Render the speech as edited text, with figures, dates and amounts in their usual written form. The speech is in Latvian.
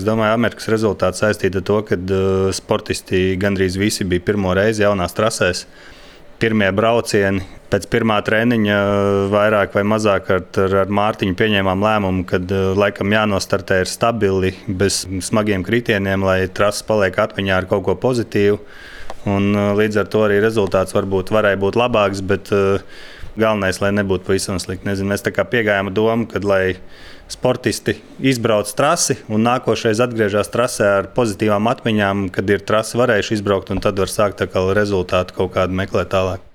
Es domāju, Amerikas rezultāts saistīts ar to, ka sportisti gandrīz visi bija pirmo reizi jaunās trasēs. Pirmie braucieni pēc pirmā treniņa vairāk vai mazāk ar Mārtiņu pieņēmām lēmumu, ka laikam jānostartē ir stabili, bez smagiem kritieniem, lai trases paliek atmiņā ar kaut ko pozitīvu. Un, līdz ar to arī rezultāts varēja būt labāks, bet galvenais, lai nebūtu pavisam slikti. Nezinu, mēs tā kā piegājām domu, ka lai sportisti izbrauc trasi un nākošais atgriežas trasē ar pozitīvām atmiņām, kad ir trasi varējuši izbraukt, un tad var sākt rezultātu kaut kādu meklēt tālāk.